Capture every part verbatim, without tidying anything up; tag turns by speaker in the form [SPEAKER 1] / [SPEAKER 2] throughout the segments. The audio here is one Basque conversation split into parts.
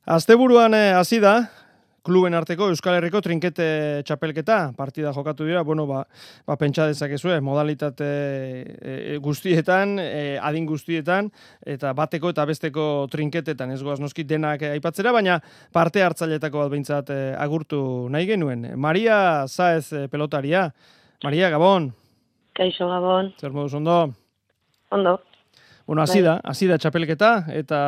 [SPEAKER 1] Asteburuan hasi da, kluben arteko Euskal Herriko trinkete txapelketa, partida jokatu dira, bueno, ba, ba pentsa dezakezue, modalitate e, guztietan, e, adin guztietan, eta bateko eta besteko trinketetan, ez goaz noski denak aipatzera, baina parte hartzailetako bat behintzat e, agurtu nahi genuen. Maria Saez e, pelotaria. Maria, Gabon.
[SPEAKER 2] Kaixo, Gabon.
[SPEAKER 1] Zer moduz, ondo?
[SPEAKER 2] Ondo.
[SPEAKER 1] Bueno, hasi da, hasi da txapelketa, eta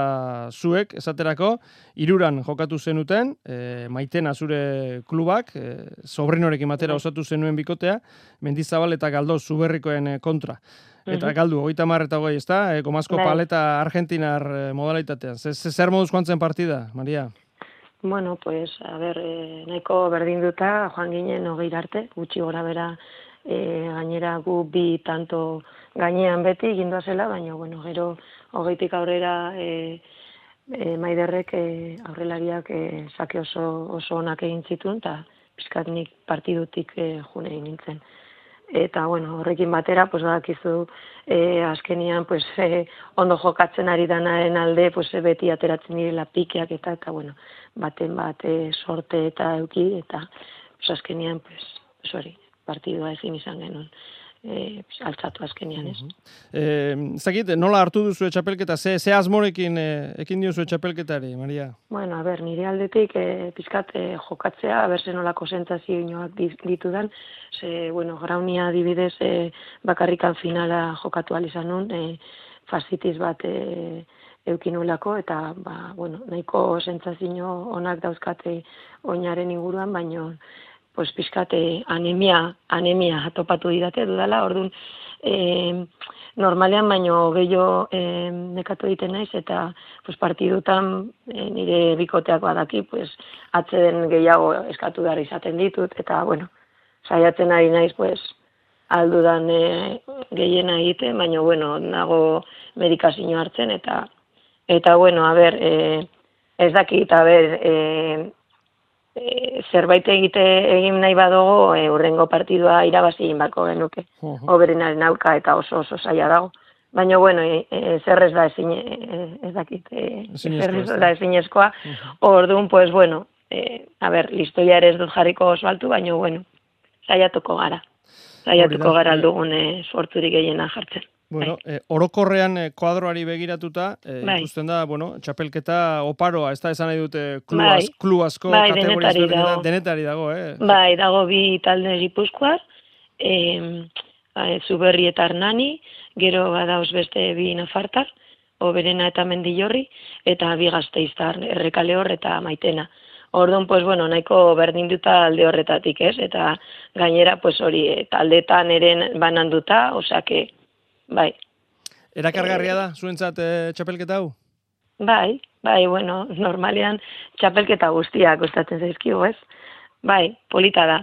[SPEAKER 1] zuek, esaterako, hiruran jokatu zenuten, e, Maitena zure klubak, e, sobrinorekin batera osatu zenuen bikotea, Mendizabal eta Galdoz Zuberrikoen kontra. Eta galdu, hogeita hamar eta hogei, ezta? E, Gomazko paleta argentinar modalitatean. Zer moduz joan zen partida, Maria?
[SPEAKER 2] Bueno, pues, a ber, eh, nahiko berdinduta, joan ginen hogei arte, gutxi gora bera, e, gainera gu bi tanto gainean beti gindoa zela, baina, bueno, gero hogeitik aurrera e, e, Maiderrek e, aurrelariak e, sake oso, oso onak egin zituen, eta pizkat nik partidutik e, june egin nintzen. Eta, bueno, horrekin batera, pues, badakizu, e, azkenian, pues, e, ondo jokatzen ari danaren alde, pues, e, beti ateratzen direla pikeak eta, eta, bueno, baten bat e, sorte eta euki, eta, pues, azkenian, pues, hori, partidua ezin izan genuen. E, altzatu azkenean, ez?
[SPEAKER 1] Eh, zakit, nola hartu duzu txapelketa? Ze, ze asmorekin e, ekin diozu txapelketari, Maria?
[SPEAKER 2] Bueno, a ber, nire aldetik e, pizkat e, jokatzea, a ber, ze nolako sentsazioak ditudan, ze, bueno, Graunia adibidez e, bakarrikan finala jokatu alizan nun, e, fasitiz bat e, eukinulako, eta, ba, bueno, nahiko sentsazio onak dauzkate oinaren inguruan, baino, pues pizkate anemia, anemia topatu didate dudala, orduan e, normalean baino gehiago e, nekatu egiten naiz, eta pues, partidutan e, nire bikoteak badaki, pues, atzeden gehiago eskatu behar izaten ditut, eta bueno, saiatzen ari naiz, pues, aldudan e, gehiena egiten, baina bueno, nago medikazio hartzen, eta eta bueno, a ber, e, ez dakit, a ber, e, E, zerbait egite egin nahi badogo, e, urrengo partidua irabazi egin bako genuke. Uh-huh. Oberenaren aurka eta oso oso zaila dago. Baina, bueno, e, e, zer ez da ezin, e, ez dakit, e, zer ez da ezinezkoa. Uh-huh. Orduan, pues, bueno, e, a ber, listoia ere ez dut jarriko oso altu, baina, bueno, saiatuko gara. Saiatuko gara aldugun e, sorturik gehiena jartzen.
[SPEAKER 1] Bueno, eh, orokorrean eh, kuadroari begiratuta, eh, bai. Ikusten da, bueno, txapelketa oparoa, ez da esan nahi dute klu, bai. az, klu asko
[SPEAKER 2] bai,
[SPEAKER 1] kategoria
[SPEAKER 2] denetari dago.
[SPEAKER 1] denetari dago, eh?
[SPEAKER 2] Bai, dago bi talde Gipuzkoar, eh, Zuberri eta Arnani, gero badauz beste bi Nafartar, Oberena eta Mendillorri, eta bi Gasteiztar, Errekaleor eta Maitena. Orduan, pues, bueno, nahiko berdinduta alde horretatik, ez? Eta gainera, pues, hori, taldetan eren bananduta, osake, bai.
[SPEAKER 1] Erakargarria da, zuentzat e, txapelketa hau?
[SPEAKER 2] Bai, bai, bueno, normalean txapelketa guztiak gustatzen zaizkigu, ez? Bai, polita da,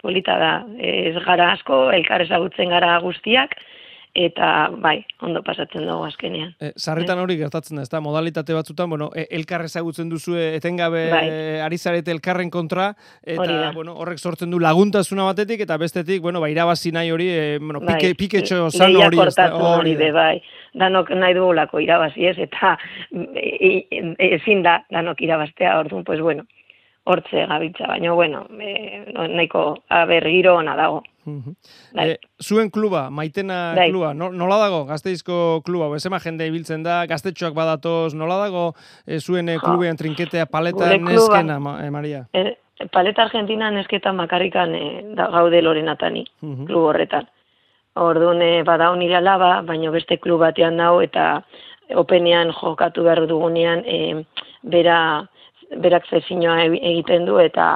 [SPEAKER 2] polita da. Ez gara asko, elkar ezagutzen gara guztiak, eta bai, ondo pasatzen dugu azkenean.
[SPEAKER 1] E, sarritan hori gertatzen da, ez da, modalitate batzutan, bueno, e, elkar ezagutzen duzue etengabe bai. Ari zarete elkarren kontra, eta bueno, horrek sortzen du laguntasuna batetik, eta bestetik, bueno, ba, irabazi nahi hori, e, bueno,
[SPEAKER 2] bai.
[SPEAKER 1] pike, piketxo sano hori.
[SPEAKER 2] Hori de, bai. Danok nahi dugulako irabazi ez, eta ezin da, danok irabaztea, orduan, pues bueno, hortze gabiltza, baina, bueno, e, nahiko aber giro ona dago.
[SPEAKER 1] Uh-huh. E, zuen kluba, Maitena Dai. kluba, no, nola dago Gasteizko kluba? Bezema jende ibiltzen da, gaztetxoak badatoz, nola dago e, zuen e, klubean trinketea paleta neskena, ma, e, Maria?
[SPEAKER 2] E, paleta Argentina nesketan makarrikan e, da, gaude Lorenatani, uh-huh. klub horretan. Orduan e, badao nire alaba, baina beste klub batean dago, eta openean jokatu behar dugunean, e, bera, berak zezinoa egiten du, eta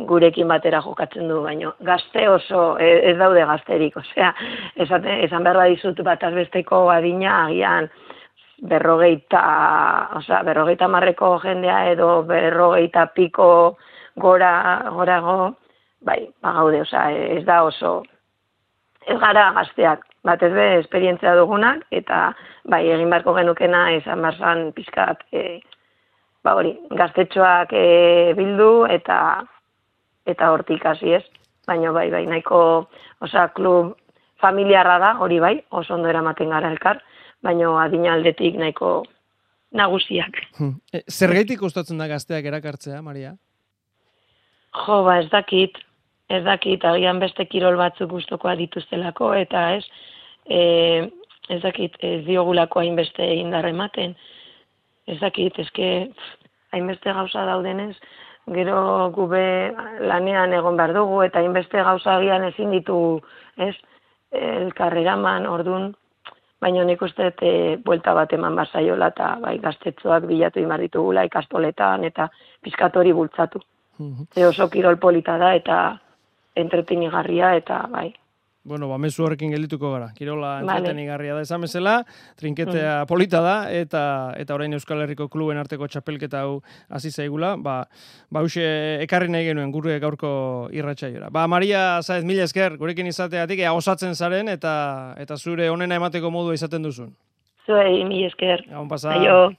[SPEAKER 2] gurekin batera jokatzen du, baino gazte oso, ez daude gazterik, osea, esan, esan behar badizut bat azbesteko adina, agian berrogeita, osea, berrogeita marreko jendea edo berrogeita piko gora, gorago, bai, bagaude, osea, ez da oso, ez gara gazteak, bat ez be, esperientzia dugunak, eta bai, egin beharko genukena, esan barzan pizkat, e, ba hori, gaztetxoak e, bildu, eta eta hortik hasi ez, baina bai, bai, nahiko, osea, klub familiarra da, hori bai, oso ondo eramaten gara elkar, baina adina aldetik nahiko nagusiak.
[SPEAKER 1] Zergaitik kostatzen da gazteak erakartzea, Maria?
[SPEAKER 2] Jo, ba, ez dakit, ez dakit, agian beste kirol batzuk gustokoa dituztelako, eta ez, e, ez dakit, ez diogulako hainbeste indar ematen, ez dakit, eske, hainbeste gauza daudenez, gero gube lanean egon behar dugu, eta hainbeste gauza agian ezin ditu, ez, elkarreraman, ordun, baina nik uste e, buelta bat eman bazaiola, eta bai, gaztetxoak bilatu imar ditugula ikastoletan, eta pizkatori bultzatu. E oso kirol polita da eta entretenigarria eta bai.
[SPEAKER 1] Bueno, ba, mezu horrekin geldituko gara. Kirola entretenigarria da esan bezala, trinketea mm. polita da eta eta orain Euskal Herriko kluben arteko txapelketa hau hasi zaigula, ba, ba huxe ekarri nahi genuen gure gaurko irratsaiora. Ba, Maria Saez, mila esker, gurekin izateatik, ea osatzen zaren eta eta zure onena emateko modua izaten duzun.
[SPEAKER 2] Zuei, mila esker.
[SPEAKER 1] Gabon pasa.
[SPEAKER 2] Aio.